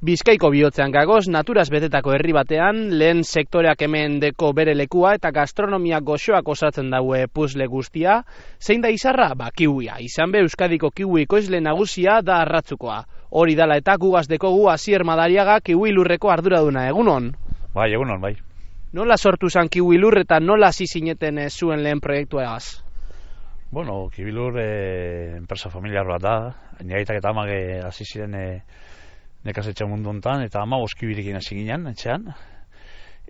Bizkaiko bihotzean gagoz, naturaz betetako herri batean, lehen sektoreak hemen deko bere lekua eta gastronomia goxoak osatzen daue puzle guztia. Zein da izarra? Kiwia. Izan be Euskadiko kiwi ekoizle nagusia da Arratzukoa. Hori dala eta gugaz dekogu Asier Madariaga kiwi lurreko arduraduna, egunon? Bai, egunon, bai. Nola sortu zan kiwi lur eta nola hasi zineten zuen lehen proiektua egaz? Bueno, kiwi lur enpresa familiar bat da. Niraitak eta amak hasi ziren nekazetxe mundu honetan, eta ama oskibirekin hasi ginen, etxean.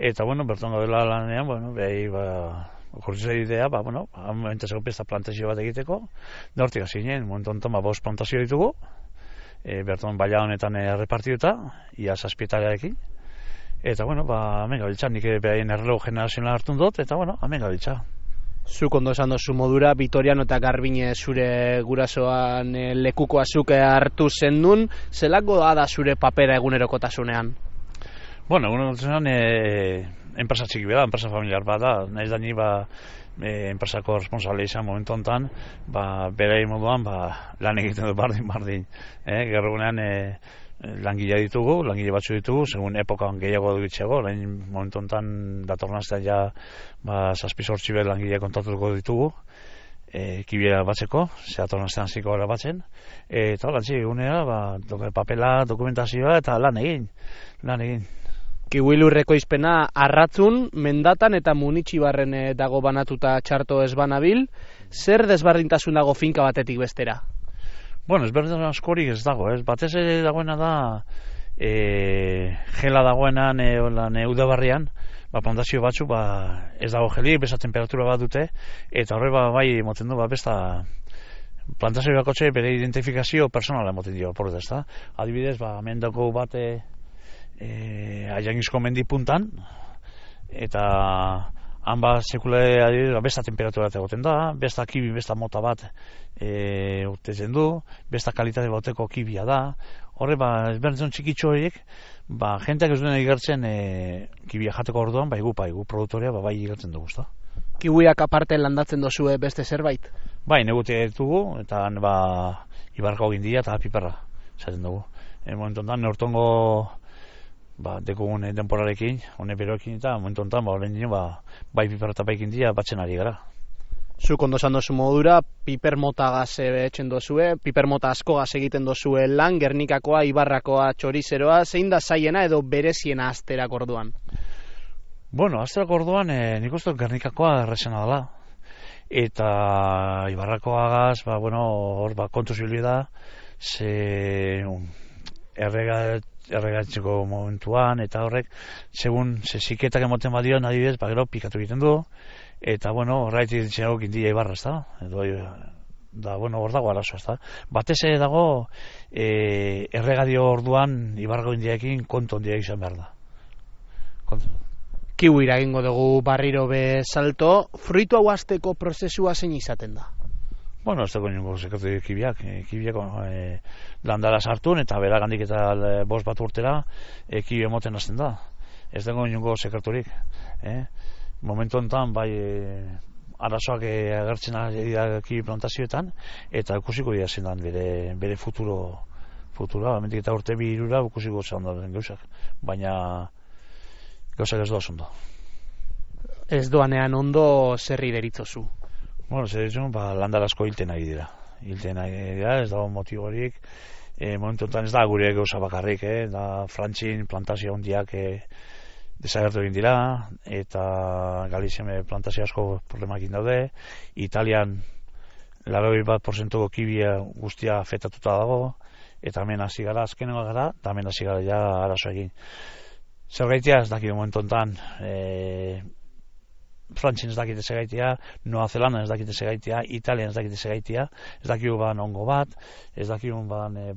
Eta, bueno, berton gaudela lanean, bueno, behi, okurrizu idea, entzeko pesta plantazio bat egiteko, da hortik hasi ginen, momentu honetan, bost plantazio ditugu, berton baila honetan errepartituta, ia zazpietarearekin. Eta, bueno, hemen gabiltza, nik behaien errelego generazionala hartun dut, eta, bueno, hemen gabiltza. Zuk ondo esan dozu modura, Vitoriano eta Garbine zure gurasoan lekuko azuke hartu zendun, zelako da zure papera egunerokotasunean? Bueno, egunerokotasunean enpresa txiki da, enpresa familiar bat da, nahiz da ni enpresako responsable izan momentu honetan, berei moduan lan egiten du bardin. Gero egunean langile batzu ditugu, segun epokan gehiago dugitxeago, lehen momentu honetan datornaztean ja 7-8 langile kontatuko ditugu, kibiera batzeko, datornaztean ziko gara batzen, eta lantzi egunera, papela, dokumentazioa eta lan egin. Kiwi lurreko izpena Arratzun, Mendatan eta Munitxibarren dago banatuta txarto ez banabil, zer desberdintasun dago finka batetik bestera? Bueno, ezberdin askorik ez dago, batez ere dagoena da gela dagoenan udabarrian, plantazio batzu ez dago gelik, besta temperatura bat dute, eta horre bai moten du, besta plantazio bakotxe bere identifikazio personala moten dio, porreta ez da. Adibidez, hemen dago bat Aiangizko mendi puntan, eta han sekule besta temperatura egoten da, besta kibi, besta mota bat urtetzen du, besta kalitate bateko kibia da. Horre, ezberdin txikitxo horiek, jenteak ez duen igertzen kibia jateko orduan, gu produktorea bai igertzen dugu, ezta. Kiwiak aparte landatzen dozue beste zerbait? Bai, negutea ditugu, eta ibarrako gindia eta piperra zaten dugu. Momentu honetan, neurtongo dekugun denporarekin, hone beroekin eta momentu honetan, bai piperra eta bai gindia batzen ari gara. Zuk ondo esan dozu modura, piper mota gaz etxen dozue, piper mota asko gaz egiten dozue lan, Gernikakoa, Ibarrakoa, Txorizeroa, zein da zaiena edo bereziena asterak orduan? Bueno, asterak orduan nik uste Gernikakoa errezena dela. Eta Ibarrakoa gaz, hor kontu zibili da, erregatzeko momentuan, eta horrek, segun ziketak emoten badion, adibidez, gero pikatu egiten du, eta, horraitik ditzenago gindia Ibarra, ez da? Hor dago arazo, ez da? Batez ere dago, erregadio orduan Ibarrako indiaekin kontu ondia izan behar da. Kiwira egingo dugu barriro be salto, fruitu hau hasteko prozesua zein izaten da? Ez dago ningo sekretu kibiak landara sartun eta beragandik eta 5 bat urtera kibi emoten hasten da. Ez dago ningo sekreturik. Momentu honetan arazoak agertzen ari da kibi plantazioetan eta ikusiko dira zendan bere futura, amendik eta urte 2-3 ikusiko zendan gauzak, baina gauzak ez doaz ondo. Ez doanean ondo zerri deritzozu? Zer ditzen, landarasko hilten ari dira. Ez dago motiborik. Momentu honetan ez da gure gauza bakarrik, da Frantzin plantazio hondiak desagertu egin dira, eta Galizian plantazio asko problemakin daude, Italian 81% kibia guztia afektatuta dago, eta hemen hasi gara, azkenengo gara, eta hemen hasi gara ja arazo egin. Zergaitia ez dakit momentu honetan, Frantzin ez dakite segaitia, Noa Zelanda ez dakite segaitia, Italian ez dakite segaitia, ez dakigu ongo bat, ez dakigu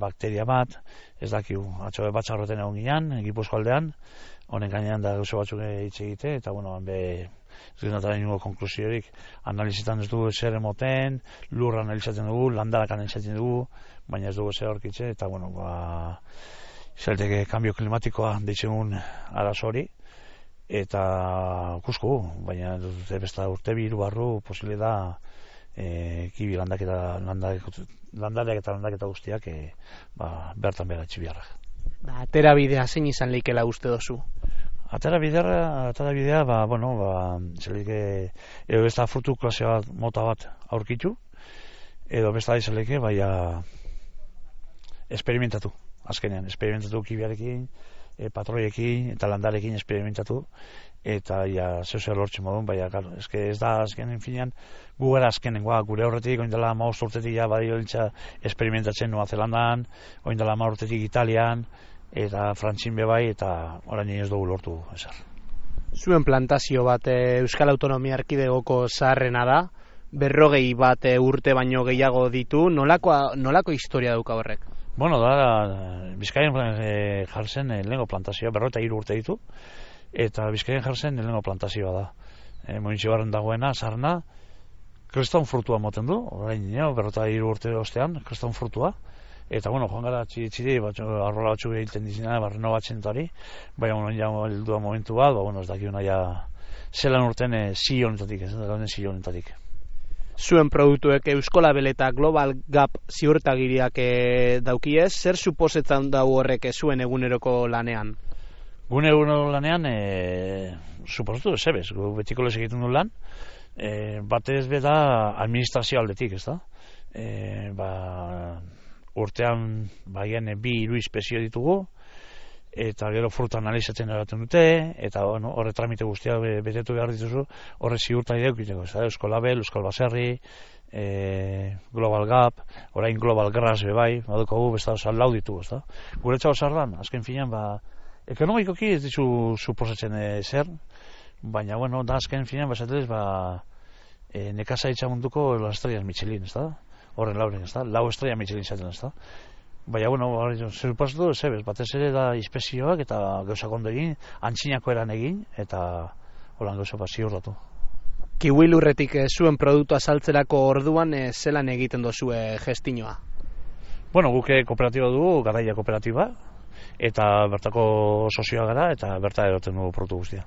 bakteria bat, ez dakigu atxobe batxarroten egon ginen, Gipuzko aldean, honen gainean da gauza batzuk hitz egite, eta ez ginataren ningo konklusiorik, analizitan ez dugu zer emoten, lurra analizatzen dugu, landarak analizatzen dugu, baina ez dugu zer horkitze, eta zelteke kambio klimatikoa deitzen arazo hori, eta ikusko, baina besta urte 2 barru posible da kibi landareak eta landaketa guztiak bertan behar etxibiarrak. Atera bidea zein izan leikela uste dozu? Atera bidea, zelike, edo besta frutu klase bat, mota bat aurkitu, edo besta izaleke, esperimentatu, azkenean, esperimentatu kibiarekin, patroiekin eta landarekin esperimentatu, eta zeu lortzen modun, claro, ez da azkenen finean, gu gara azkenengoa, gure horretik, oindela 15 urtetik badio lintza esperimentatzen Nua Zelandan, oindela 10 urtetik Italian, eta Frantzin bebai, eta orain ez dugu lortu ezer. Zuen plantazio bat Euskal Autonomia Erkidegoko zaharrena da, 40 bat urte baino gehiago ditu, nolako historia dauka horrek? Bueno, Bizkaian jartzen lehengo plantazioa, 43 urte ditu, eta Bizkaian jartzen lehengo plantazioa da. Mointxibarren dagoena, zaharna, kriston frutua moten du, orain 43 urte ostean, kriston frutua, eta joan gara txiri, arrola batzuk egiten dizina, barreno batzen eta hori, baina heldua momentu bat, ez dakiuna zelan urten zionetatik, zionetatik. Zuen produktuek Euskolabel eta Global Gap ziurtagiriak daukiez, zer suposetzen dau horrek zuen eguneroko lanean? Gune eguneroko lanean, suposatu zebez, betiko lez egiten du lan, batez beda administrazio aldetik, ez da? Urtean baien 2-3 inspezio ditugu, eta gero fruta analizatzen eraten dute, eta horre tramite guztia betetu behar dituzu, horre ziurta ideukiteko, Euskolabel, Euskal Baserri, Global Gap, orain Global Grass bebai, badukogu besta lau ditugu, ez da? Guretxau zardan, azken finean, ekonomikoki ez ditu suposatzen zer, baina, da azken finean, nekazaritza munduko las estrellas Michelin, ez da? Horren lauren, ez da? 4 estrella Michelin zaten, ez da? Baina, zer pasatu, zebez, batez ere da inspezioak eta gauzak ondo egin, antzinako eran egin, eta holan gauza bat ziurtatu. Kiwi lurretik zuen produktua saltzerako orduan zelan egiten dozue gestinoa? Guke kooperatiba dugu, Garaia kooperatiba, eta bertako sozioa gara, eta berta eroten dugu produktu guztia.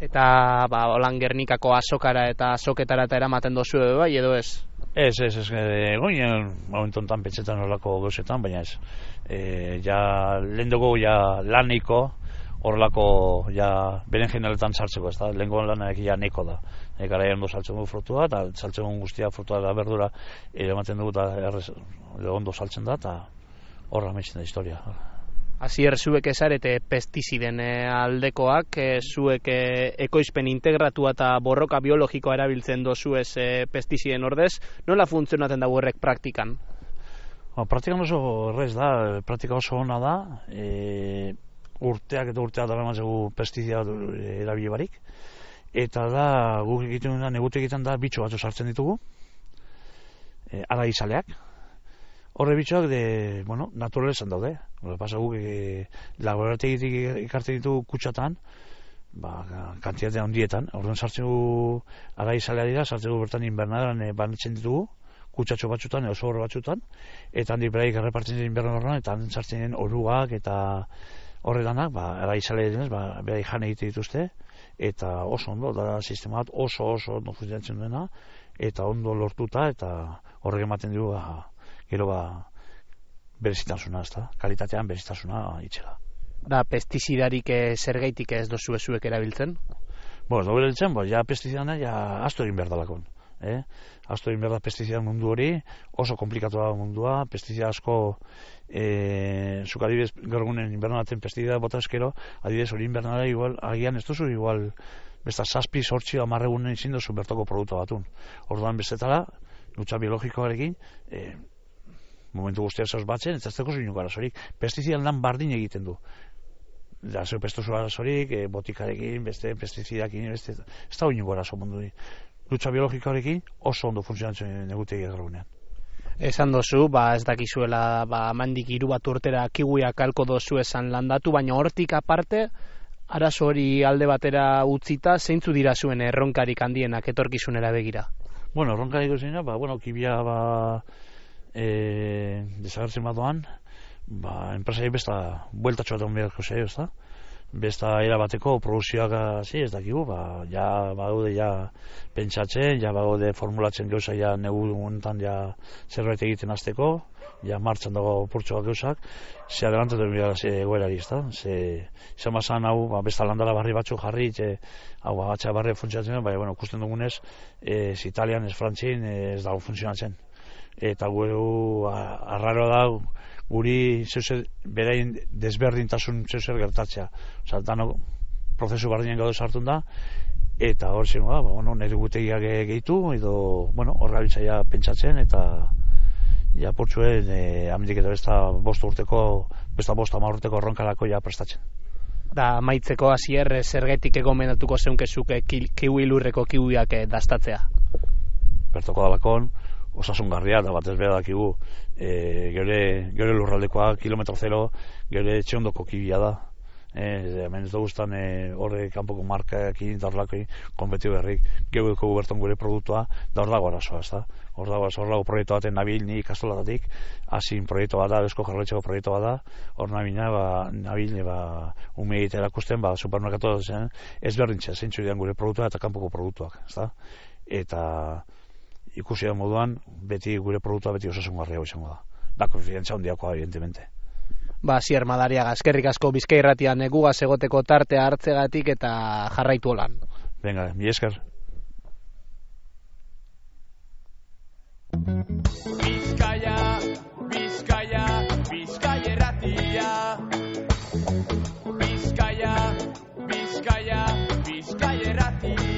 Eta holan Gernikako azokara eta azoketara eta eramaten dozue bai, edo ez? Ez, goinen momentontan petxetan horrelako gauzetan, baina ez. Lehen dugu laniko, horrelako beren generaletan sartzeko, ez da? Lehenko lanak neko da. Garaian ondo saltzen dugu frutua, eta saltzen dugu guztia frutua da berdura, ematen dugu eta ondo saltzen da, eta horra amaitzen da historia. Asier, zuek ezarete pestiziden aldekoak, zuek ekoizpen integratua eta borroka biologikoa erabiltzen dozuez pestiziden ordez, nola funtzionatzen dago horrek praktikan? Praktikan oso errez da, praktika oso ona da, urteak dara matzegu pestizida erabili barik, eta da, guk egiten da, negute egiten da, bitxo batzu sartzen ditugu, ara izaleak, horre bitxoak, naturalezan daude. Pasa guk, laborategitik ikartzen ditugu kutsatan, kantitate handietan. Orduan sartzen gu, ara izalea dira, sartzen gu bertan inbernaderan banatzen ditugu, kutsatxo batzutan, oso horre batzutan, eta handik beraik errepartzen dira inbernaderan, eta handik sartzen diren oruak, eta horre danak, ara izalea denez, beraik jan egite dituzte, eta oso ondo, da sistema bat oso ondo funtzionatzen duena, eta ondo lortuta, eta horrek ematen dugu, gero berezitasuna, ez da? Kalitatean berezitasuna itxela. Da, pestizidarik zergaitik ez dozu zuek erabiltzen? Ez dugu erabiltzen, pestizidana asto egin behar dalakon. Asto egin behar da pestizida mundu hori, oso komplikatu da mundua, pestizida asko, zuk adibidez, gaur egunen inbernaten pestizida bota eskero, adibidez hori inbernara igual, agian ez duzu igual, besta 7, 8, 10 egunen izin duzu bertoko produktu batun. Orduan bestetara, lucha biologikoarekin, momentu guztia zauz batzen, ez zeko zuinuk arazorik. Pestizidan lan bardin egiten du. Zeu pestuzu arazorik, botikarekin, beste pestizidakin, ez da uinuk arazo mundu di. Lucha biologikoarekin oso ondo funtzionatzen negutegi egarunean. Esan dozu, ez dakizuela, mandik 3 bat urtera kiwiak alko dozu esan landatu, baina hortik aparte, arazo hori alde batera utzita, zeintzu dira zuen erronkarik handienak etorkizunera begira? Erronkarik zena, kibia, desagertzen badoan, enpresari besta bueltatxo bat beharko zei, ez da? besta erabateko produzioak hasi ez dakigu, ja bagaude ja pentsatzen, ja bagaude formulatzen gauza ja negu honetan ja zerbait egiten hasteko, ja martxan dago purtsuak gauzak, ze adelantatu dira egoerari, ezta? Ze izan bazan hau, besta landara barri batzuk jarri, hau agatxa barri funtzionatzen, baina bueno, ikusten dugunez, ez Italian, ez Frantzin, ez dago funtzionatzen. Eta gure arraroa da guri zeuzer berain desberdintasun zeuzer gertatzea. Osa, dano prozesu bardinen gaude sartun da, eta hor zingo da, bueno, nire gutegiak gehitu, edo, bueno, hor gabiltza pentsatzen, eta ja portzuen amendik eta besta bost ama urteko erronkarako ja prestatzen. Da, amaitzeko hasier zergetik egomendatuko zeunkezuke kiwi lurreko kiwiak dastatzea? Bertoko dalakon, osasungarria, da batez behar dakigu, gure lurraldekoa, kilometro zero, gure etxe ondoko kibia da. Hemen ez da guztan horre kanpoko markakin, da horrelako konpetio berrik, gehueko berton gure produktua, da hor dago arazoa, ez da? Hor dago proiektu baten nabil ni ikastolatatik, hasin proiektu bat da, Eusko Jaurlaritzako proiektu bat da, hor nabil ume egite erakusten, supermerkatu zen, ez berdintzea, zeintzu dian gure produktua eta kanpoko produktuak, ez da? Eta ikusi da moduan, beti gure produktua beti osasungarria izango da. Da konfidentzia handiakoa, evidentemente. Hasier Madariaga, eskerrik asko Bizkai Irratian gugaz egoteko tartea hartzegatik eta jarraitu holan. Venga, mi esker. Bizkaia, Bizkaia, Bizkai Irratia. Bizkaia, Bizkaia, Bizkai Irratia.